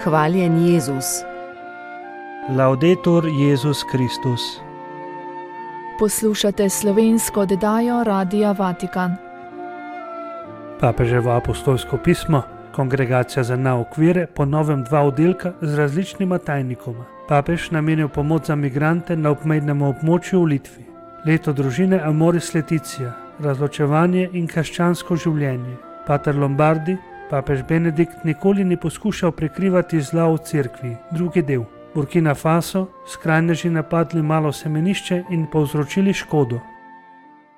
Hvaljen Jezus. Laudetur Jezus Kristus. Poslušate slovensko oddajo Radia Vatikan. Papeževo apostolsko pismo, Kongregacija za nauk vere, po novem 2 oddelka z različnima tajnikoma. Papež namenil pomoč za migrante na obmejnem območju v Litvi. Leto družine Amoris Laetitia, razločevanje in krščansko življenje. Pater Lombardi, papež Benedikt nikoli ni poskušal prikrivati zla v cerkvi. Drugi del. Burkina Faso, skrajneži napadli malo semenišče in povzročili škodo.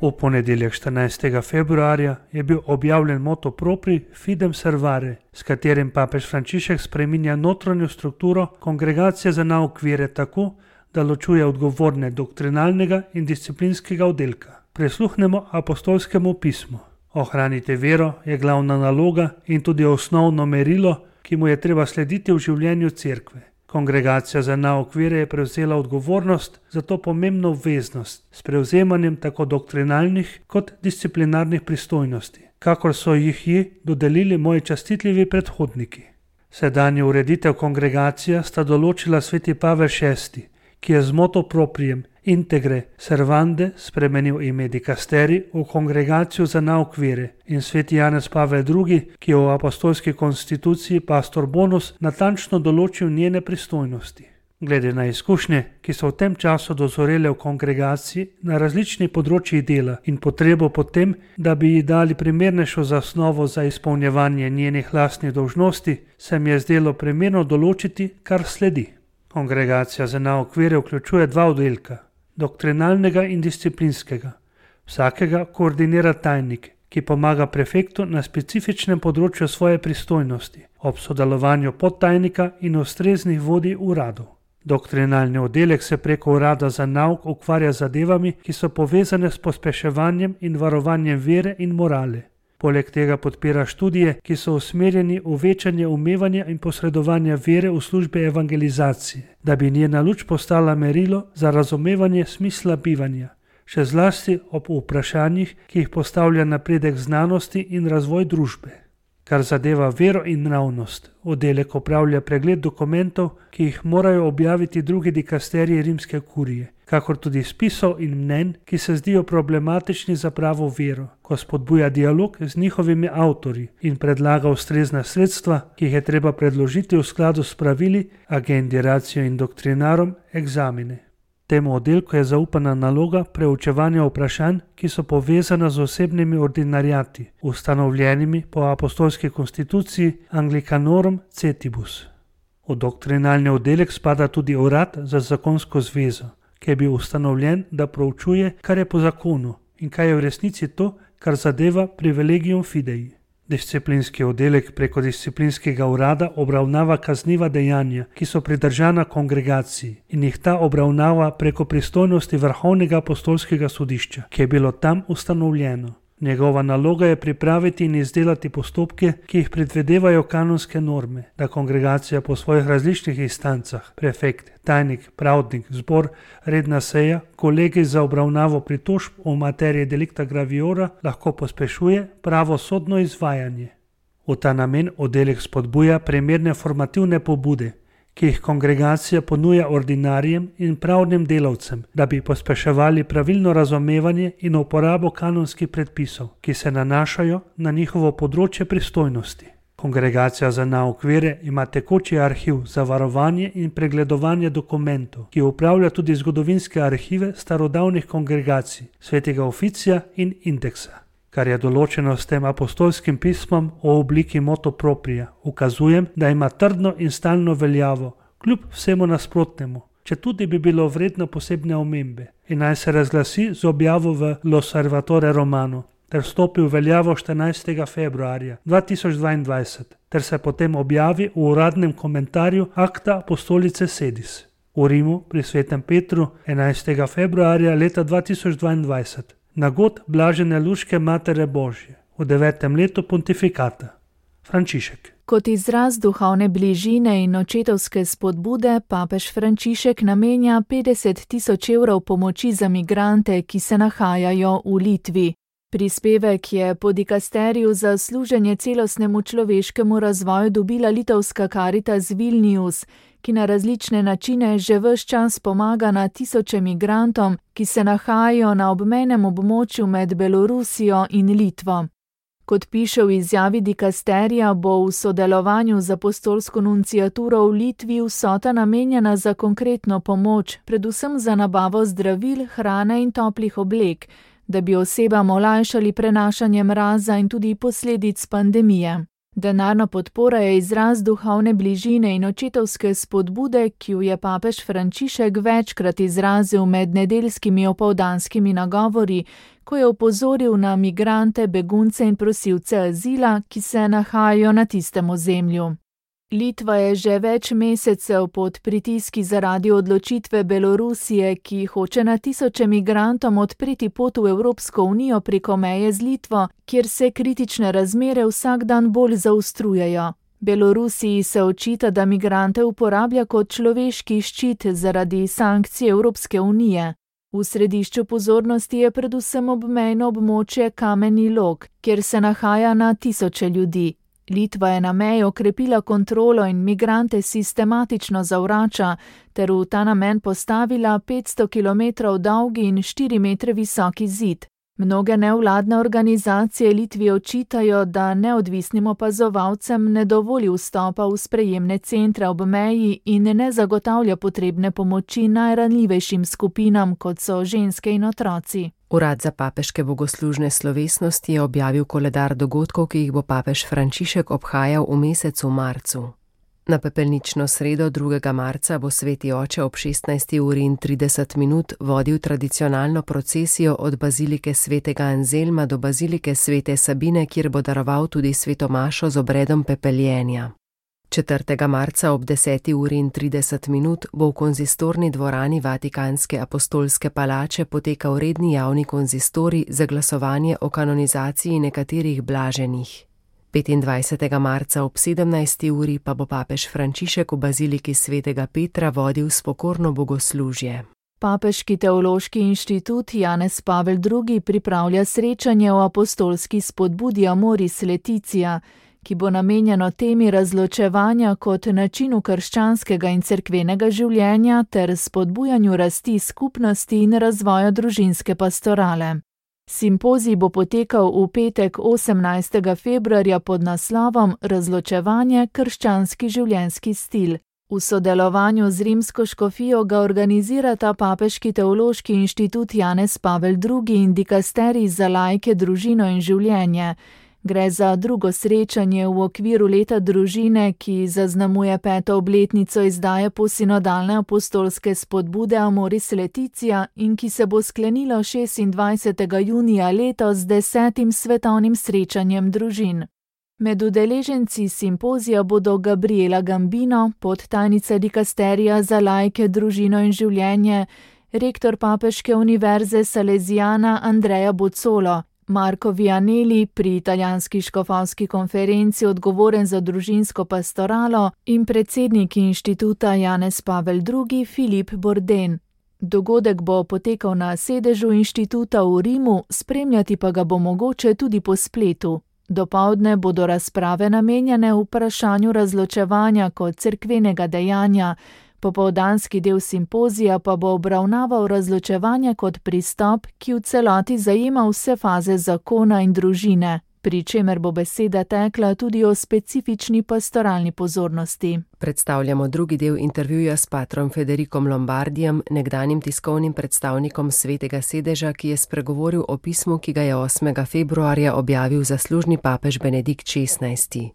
V ponedeljek 14. februarja je bil objavljen motu propri Fidem Servare, s katerim papež Frančišek spreminja notranjo strukturo Kongregacije za nauk vere tako, da ločuje odgovorne doktrinalnega in disciplinskega oddelka. Prisluhnemo apostolskemu pismu. Ohranite vero je glavna naloga in tudi osnovno merilo, ki mu je treba slediti v življenju cerkve. Kongregacija za nauk vere je prevzela odgovornost za to pomembno obveznost s prevzemanjem tako doktrinalnih kot disciplinarnih pristojnosti, kakor so jih dodelili moji častitljivi predhodniki. Sedanjo ureditev kongregacija sta določila sveti Pavel VI, ki je z motu proprijem Integre Servande spremenil ime dikasteri v Kongregacijo za nauk vere, in sveti Janez Pavel II, ki je v apostolski konstituciji Pastor Bonus natančno določil njene pristojnosti. Glede na izkušnje, ki so v tem času dozorele v kongregaciji na različnih področjih dela in potrebo po tem, da bi ji dali primernejšo zasnovo za izpolnjevanje njenih lastnih dolžnosti, se mi je zdelo primerno določiti, kar sledi. Kongregacija za nauk vere vključuje 2 oddelka, doktrinalnega in disciplinskega. Vsakega koordinira tajnik, ki pomaga prefektu na specifičnem področju svoje pristojnosti, ob sodelovanju podtajnika in ustreznih vodij uradov. Doktrinalni oddelek se preko urada za nauk ukvarja z zadevami, ki so povezane s pospeševanjem in varovanjem vere in morale. Poleg tega podpira študije, ki so usmerjeni v večanje umevanja in posredovanja vere v službe evangelizacije, da bi njena luč postala merilo za razumevanje smisla bivanja, še zlasti ob vprašanjih, ki jih postavlja napredek znanosti in razvoj družbe. Kar zadeva vero in nravnost, oddelek opravlja pregled dokumentov, ki jih morajo objaviti drugi dikasteriji rimske kurije, kakor tudi spisov in mnenj, ki se zdijo problematični za pravo vero, ko spodbuja dialog z njihovimi avtorji in predlaga ustrezna sredstva, ki jih je treba predložiti v skladu s pravili Agendi Ratio in Doctrinarum Examine. Temu oddelku je zaupana naloga preučevanja vprašanj, ki so povezana z osebnimi ordinariati, ustanovljenimi po apostolski konstituciji Anglicanorum Cetibus. V doktrinalni oddelek spada tudi urad za zakonsko zvezo, ki je bil ustanovljen, da proučuje, kar je po zakonu in kaj je v resnici to, kar zadeva privilegium fidei. Disciplinski oddelek preko disciplinskega urada obravnava kazniva dejanja, ki so pridržana kongregaciji, in jih ta obravnava preko pristojnosti Vrhovnega apostolskega sodišča, ki je bilo tam ustanovljeno. Njegova naloga je pripraviti in izdelati postopke, ki jih predvidevajo kanonske norme, da kongregacija po svojih različnih instancah, prefekt, tajnik, pravdnik, zbor, redna seja, kolegi za obravnavo pritožb o materiji delicta graviora lahko pospešuje pravosodno izvajanje. V ta namen oddelek spodbuja primerne formativne pobude, ki jih kongregacija ponuja ordinarijem in pravnim delavcem, da bi pospeševali pravilno razumevanje in uporabo kanonskih predpisov, ki se nanašajo na njihovo področje pristojnosti. Kongregacija za nauk vere ima tekoči arhiv za varovanje in pregledovanje dokumentov, ki upravlja tudi zgodovinske arhive starodavnih kongregacij, svetega oficija in indeksa. Kar je določeno s tem apostolskim pismom o obliki motu proprija, ukazujem, da ima trdno in stalno veljavo, kljub vsemu nasprotnemu, četudi bi bilo vredno posebne omembe, in naj se razglasi z objavo v L'Osservatore Romano, ter stopi v veljavo 14. februarja 2022, ter se potem objavi v uradnem komentarju Acta Apostolice Sedis v Rimu pri svetem Petru 11. februarja leta 2022. Na god blažene luške Matere Božje v 9. letu pontifikata. Frančišek. Kot izraz duhovne bližine in očetovske spodbude papež Frančišek namenja 50 000 evrov pomoči za migrante, ki se nahajajo v Litvi. Prispevek je po dikasteriju za služenje celostnemu človeškemu razvoju dobila litovska Caritas Vilnius, ki na različne načine že ves čas pomaga na tisoče migrantom, ki se nahajajo na obmejnem območju med Belorusijo in Litvo. Kot piše v izjavi dikasterija, bo v sodelovanju z apostolsko nunciaturo v Litvi vsota namenjena za konkretno pomoč, predvsem za nabavo zdravil, hrane in toplih oblek, da bi osebam olajšali prenašanje mraza in tudi posledic pandemije. Denarna podpora je izraz duhovne bližine in očetovske spodbude, ki jo je papež Frančišek večkrat izrazil med nedeljskimi opoldanskimi nagovori, ko je opozoril na migrante, begunce in prosilce azila, ki se nahajajo na tistem ozemlju. Litva je že več mesecev pod pritiski zaradi odločitve Belorusije, ki hoče na tisoče migrantom odpreti pot v Evropsko unijo preko meje z Litvo, kjer se kritične razmere vsak dan bolj zaostrujejo. Belorusiji se očita, da migrante uporablja kot človeški ščit zaradi sankcij Evropske unije. V središču pozornosti je predvsem obmejno območje Kameni Log, kjer se nahaja na tisoče ljudi. Litva je na meji okrepila kontrolo in migrante sistematično zavrača, ter v ta namen postavila 500 km dolgi in 4 metre visoki zid. Mnoge nevladne organizacije Litvi očitajo, da neodvisnim opazovalcem ne dovoli vstopa v sprejemne centre ob meji in ne zagotavlja potrebne pomoči najranljivejšim skupinam, kot so ženske in otroci. Urad za papeške bogoslužne slovesnosti je objavil koledar dogodkov, ki jih bo papež Frančišek obhajal v mesecu marcu. Na pepelnično sredo 2. marca bo sveti oče ob 16:30 vodil tradicionalno procesijo od bazilike svetega Anzelma do bazilike svete Sabine, kjer bo daroval tudi sveto mašo z obredom pepeljenja. 4. marca ob 10:30 bo v konzistorni dvorani Vatikanske apostolske palače potekal redni javni konzistorij za glasovanje o kanonizaciji nekaterih blaženih. 25. marca ob 17. uri pa bo papež Frančišek v baziliki svetega Petra vodil spokorno bogoslužje. Papeški teološki inštitut Janez Pavel II. Pripravlja srečanje o apostolski spodbudi Amoris Laetitia, ki bo namenjeno temi razločevanja kot načinu krščanskega in cerkvenega življenja ter spodbujanju rasti skupnosti in razvoja družinske pastorale. Simpozij bo potekal v petek 18. februarja pod naslovom Razločevanje – krščanski življenjski stil. V sodelovanju z rimsko škofijo ga organizirata Papeški teološki inštitut Janez Pavel II. In dikasterij za laike, družino in življenje. Gre za drugo srečanje v okviru leta družine, ki zaznamuje 5. obletnico izdaje posinodalne apostolske spodbude Amoris Laetitia in ki se bo sklenilo 26. junija letos z 10. svetovnim srečanjem družin. Med udeleženci simpozija bodo Gabriela Gambino, podtajnica dikasterija za laike, družino in življenje, rektor Papeške univerze Salesiana Andrea Bozzolo, Marko Vianelli, pri italijanski škofovski konferenci odgovoren za družinsko pastoralo, in predsednik inštituta Janez Pavel II. Filip Borden. Dogodek bo potekal na sedežu inštituta v Rimu, spremljati pa ga bo mogoče tudi po spletu. Dopoldne bodo razprave namenjene vprašanju razločevanja kot cerkvenega dejanja, popoldanski del simpozija pa bo obravnaval razločevanje kot pristop, ki v celoti zajema vse faze zakona in družine, pri čemer bo beseda tekla tudi o specifični pastoralni pozornosti. Predstavljamo drugi del intervjuja s patrom Federikom Lombardijem, nekdanjim tiskovnim predstavnikom Svetega sedeža, ki je spregovoril o pismu, ki ga je 8. februarja objavil zaslužni papež Benedikt XVI.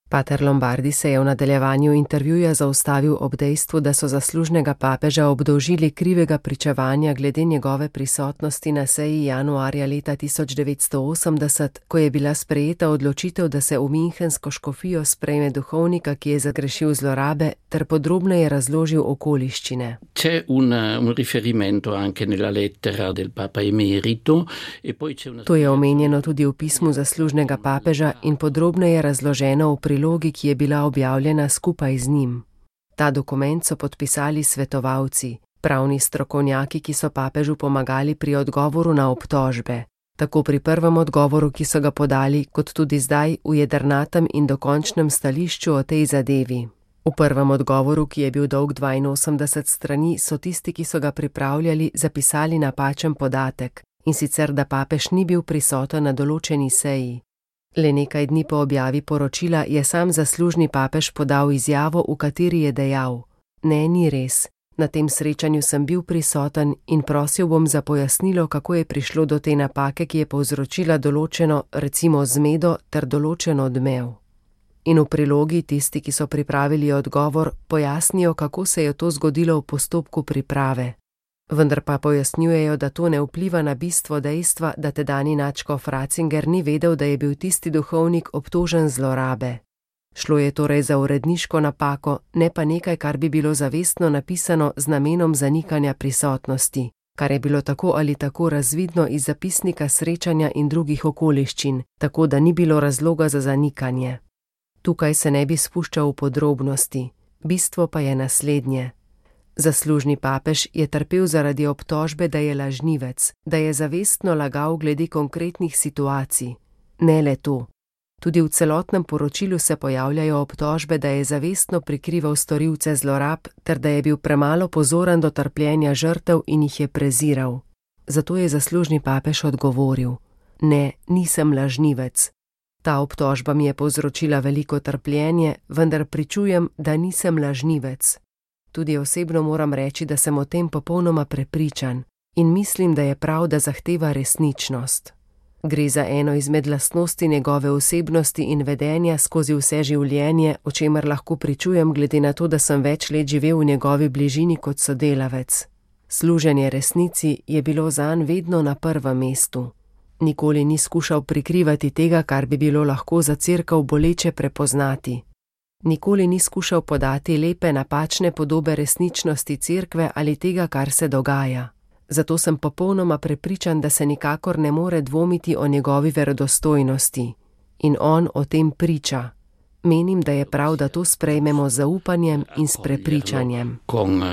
Pater Lombardi se je v nadaljevanju intervjuja zaustavil ob dejstvu, da so zaslužnega papeža obdolžili krivega pričevanja glede njegove prisotnosti na seji januarja leta 1980, ko je bila sprejeta odločitev, da se v Münchensko škofijo sprejme duhovnika, ki je zagrešil zlorabe, ter podrobneje razložil okoliščine. C'è un riferimento anche nella lettera del Papa Emerito e poi c'è una... To je omenjeno tudi v pismu zaslužnega papeža in podrobneje razloženo v prilogi, ki je bila objavljena skupaj z njim. Ta dokument so podpisali svetovalci, pravni strokovnjaki, ki so papežu pomagali pri odgovoru na obtožbe. Tako pri prvem odgovoru, ki so ga podali, kot tudi zdaj v jedrnatem in dokončnem stališču o tej zadevi. V prvem odgovoru, ki je bil dolg 82 strani, so tisti, ki so ga pripravljali, zapisali napačen podatek, in sicer, da papež ni bil prisoten na določeni seji. Le nekaj dni po objavi poročila je sam zaslužni papež podal izjavo, v kateri je dejal: "Ne, ni res. Na tem srečanju sem bil prisoten in prosil bom za pojasnilo, kako je prišlo do te napake, ki je povzročila določeno, recimo zmedo, ter določen odmev." In v prilogi tisti, ki so pripravili odgovor, pojasnijo, kako se je to zgodilo v postopku priprave. Vendar pa pojasnjujejo, da to ne vpliva na bistvo dejstva, da tedanji nadškof Ratzinger ni vedel, da je bil tisti duhovnik obtožen zlorabe. Šlo je torej za uredniško napako, ne pa nekaj, kar bi bilo zavestno napisano z namenom zanikanja prisotnosti, kar je bilo tako ali tako razvidno iz zapisnika srečanja in drugih okoliščin, tako da ni bilo razloga za zanikanje. Tukaj se ne bi spuščal v podrobnosti, bistvo pa je naslednje. Zaslužni papež je trpel zaradi obtožbe, da je lažnivec, da je zavestno lagal glede konkretnih situacij. Ne le to. Tudi v celotnem poročilu se pojavljajo obtožbe, da je zavestno prikrival storilce zlorab, ter da je bil premalo pozoren do trpljenja žrtev in jih je preziral. Zato je zaslužni papež odgovoril: "Ne, nisem lažnivec. Ta obtožba mi je povzročila veliko trpljenje, vendar pričujem, da nisem lažnivec. Tudi osebno moram reči, da sem o tem popolnoma prepričan in mislim, da je prav, da zahteva resničnost. Gre za eno izmed lastnosti njegove osebnosti in vedenja skozi vse življenje, o čemer lahko pričujem glede na to, da sem več let živel v njegovi bližini kot sodelavec. Služenje resnici je bilo zanj vedno na prvem mestu. Nikoli ni skušal prikrivati tega, kar bi bilo lahko za cerkev boleče prepoznati. Nikoli ni skušal podati lepe napačne podobe resničnosti cerkve ali tega, kar se dogaja. Zato sem popolnoma prepričan, da se nikakor ne more dvomiti o njegovi verodostojnosti. In on o tem priča. Menim, da je prav, da to sprejmemo z zaupanjem in s prepričanjem." Con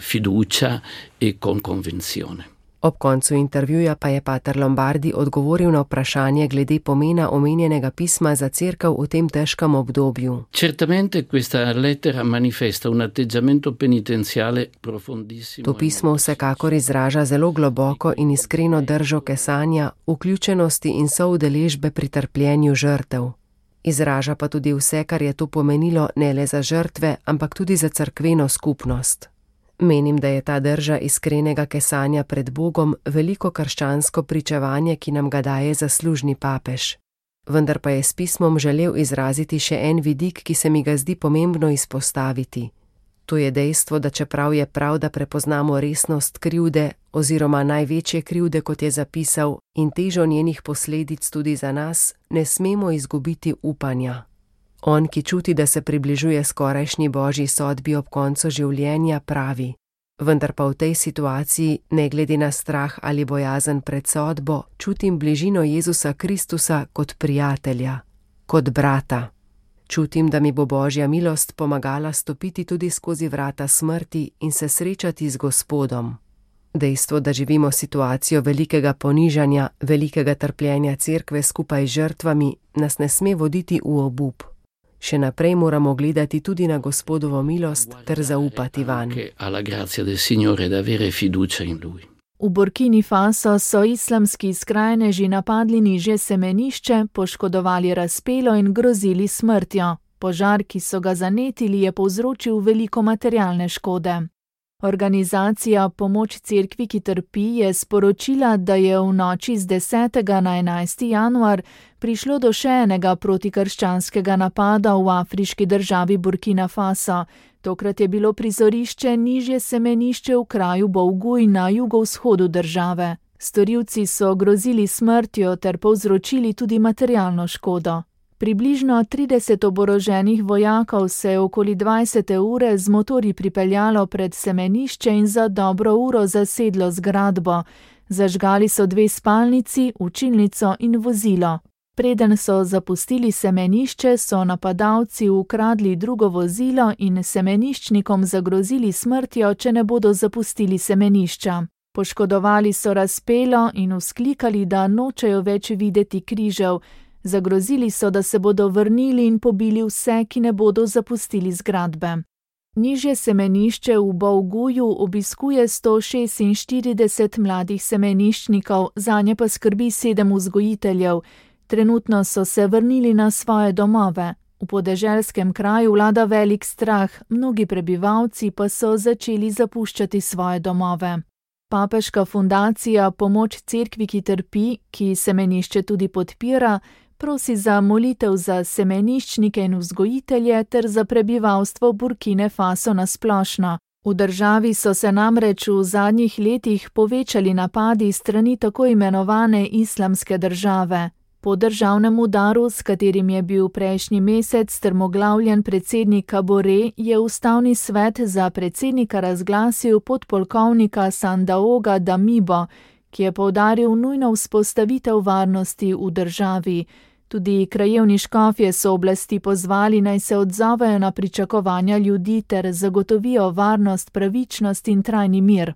fiducia e con convinzione. Ob koncu intervjuja pa je pater Lombardi odgovoril na vprašanje glede pomena omenjenega pisma za cerkev v tem težkem obdobju. Certamente questa lettera manifesta un atteggiamento penitenziale profondissimo. To pismo vsekakor izraža zelo globoko in iskreno držo kesanja, vključenosti in soudeležbe pri trpljenju žrtev. Izraža pa tudi vse, kar je to pomenilo ne le za žrtve, ampak tudi za cerkveno skupnost. Menim, da je ta drža iskrenega kesanja pred Bogom veliko krščansko pričevanje, ki nam ga daje zaslužni papež. Vendar pa je s pismom želel izraziti še en vidik, ki se mi ga zdi pomembno izpostaviti. To je dejstvo, da čeprav je prav, da prepoznamo resnost krivde oziroma največje krivde, kot je zapisal, in težo njenih posledic tudi za nas, ne smemo izgubiti upanja. On, ki čuti, da se približuje skorajšnji božji sodbi ob koncu življenja, pravi: "Vendar pa v tej situaciji, ne glede na strah ali bojazen pred sodbo, čutim bližino Jezusa Kristusa kot prijatelja, kot brata. Čutim, da mi bo božja milost pomagala stopiti tudi skozi vrata smrti in se srečati z Gospodom." Dejstvo, da živimo situacijo velikega ponižanja, velikega trpljenja cerkve skupaj z žrtvami, nas ne sme voditi v obup. Še naprej moramo gledati tudi na Gospodovo milost ter zaupati vanj. V Burkini Faso so islamski skrajneži napadli nižje semenišče, poškodovali razpelo in grozili smrtjo. Požar, ki so ga zanetili, je povzročil veliko materialne škode. Organizacija Pomoč cerkvi, ki trpi, je sporočila, da je v noči z 10. na 11. januar prišlo do še enega protikrščanskega napada v afriški državi Burkina Faso. Tokrat je bilo prizorišče nižje semenišče v kraju Bouguj na jugovzhodu države. Storilci so grozili smrtjo ter povzročili tudi materialno škodo. Približno 30 oboroženih vojakov se je okoli 20. ure z motorji pripeljalo pred semenišče in za dobro uro zasedlo zgradbo. Zažgali so 2 spalnici, učilnico in vozilo. Preden so zapustili semenišče, so napadalci ukradli drugo vozilo in semeniščnikom zagrozili smrtjo, če ne bodo zapustili semenišča. Poškodovali so razpelo in vzklikali, da nočejo več videti križev. Zagrozili so, da se bodo vrnili in pobili vse, ki ne bodo zapustili zgradbe. Nižje semenišče v Bolguju obiskuje 146 mladih semeniščnikov, zanje pa skrbi 7 vzgojiteljev. Trenutno so se vrnili na svoje domove. V podeželskem kraju vlada velik strah, mnogi prebivalci pa so začeli zapuščati svoje domove. Papeška fundacija Pomoč cerkvi, ki trpi, ki semenišče tudi podpira, prosi za molitev za semeniščnike in vzgojitelje ter za prebivalstvo Burkine Faso nasplošno. V državi so se namreč v zadnjih letih povečali napadi strani tako imenovane islamske države. Po državnem udaru, s katerim je bil prejšnji mesec strmoglavljen predsednik Kabore, je Ustavni svet za predsednika razglasil podpolkovnika Sandaoga Damibo, ki je poudaril nujno vzpostavitev varnosti v državi. Tudi krajevni škofje so oblasti pozvali, naj se odzovejo na pričakovanja ljudi ter zagotovijo varnost, pravičnost in trajni mir.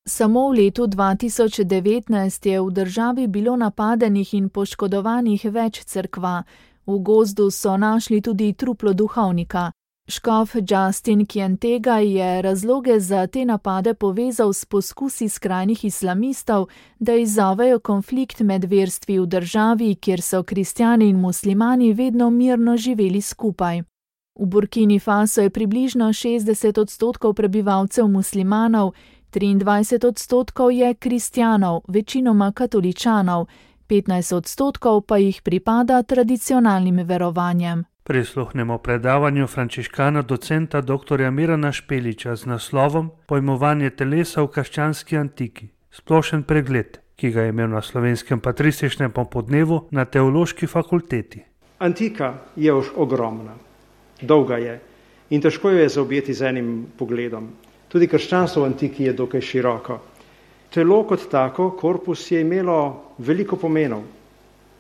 Samo v letu 2019 je v državi bilo napadenih in poškodovanih več cerkva. V gozdu so našli tudi truplo duhovnika. Škof Justin Kientega je razloge za te napade povezal s poskusi skrajnih islamistov, da izzovejo konflikt med verstvi v državi, kjer so kristjani in muslimani vedno mirno živeli skupaj. V Burkini Faso je približno 60% prebivalcev muslimanov, 23% je kristjanov, večinoma katoličanov, 15% pa jih pripada tradicionalnim verovanjem. Prisluhnemo predavanju frančiškana docenta dr. Mirana Špeliča z naslovom Pojmovanje telesa v krščanski antiki. Splošen pregled, ki ga je imel na Slovenskem patrističnem popoldnevu na Teološki fakulteti. Antika je ogromna, dolga je in težko jo je zaobjeti z enim pogledom. Tudi krščanstvo v antiki je dokaj široko. Telo kot tako, korpus, je imelo veliko pomenov.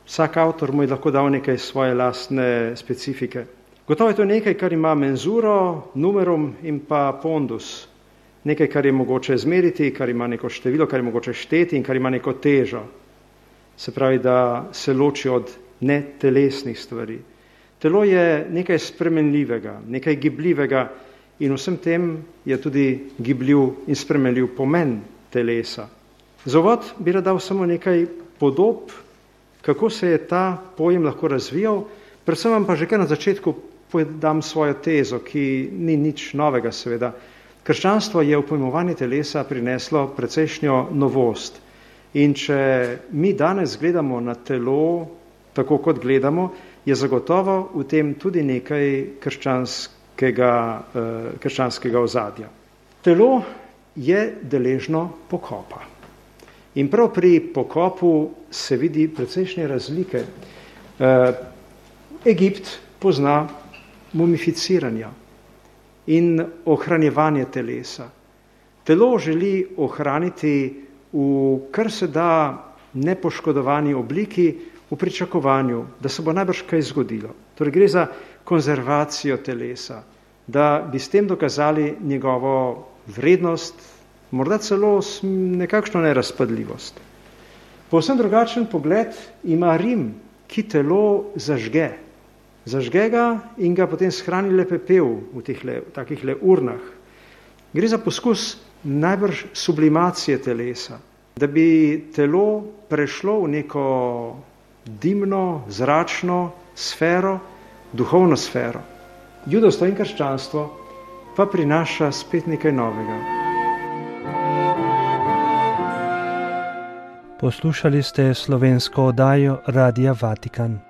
Vsak avtor mu je lahko dal nekaj svoje lastne specifike. Gotovo je to nekaj, kar ima menzuro, numerum in pa pondus. Nekaj, kar je mogoče izmeriti, kar ima neko število, kar je mogoče šteti in kar ima neko težo. Se pravi, da se loči od netelesnih stvari. Telo je nekaj spremenljivega, nekaj gibljivega in vsem tem je tudi gibljiv in spremenljiv pomen telesa. Za uvod bi rad dal samo nekaj podob, kako se je ta pojem lahko razvijal, predvsem vam pa že kar na začetku podam svojo tezo, ki ni nič novega seveda. Krščanstvo je v pojmovanje telesa prineslo precejšnjo novost in če mi danes gledamo na telo tako kot gledamo, je zagotovo v tem tudi nekaj krščanskega ozadja. Telo je deležno pokopa. In prav pri pokopu se vidi precejšnje razlike. Egipt pozna mumificiranja in ohranjevanje telesa. Telo želi ohraniti v kar se da nepoškodovani obliki, v pričakovanju, da se bo najbrž kaj zgodilo. Torej gre za konzervacijo telesa, da bi s tem dokazali njegovo vrednost, morda celo nekakšno nerazpadljivost. Povsem drugačen pogled ima Rim, ki telo zažge. Zažge ga in ga potem shrani le pepel v takih urnah. Gre za poskus najbrž sublimacije telesa, da bi telo prešlo v neko dimno, zračno sfero, duhovno sfero. Judovstvo in krščanstvo pa prinaša spet nekaj novega. Poslušali ste slovensko oddajo Radia Vatikan.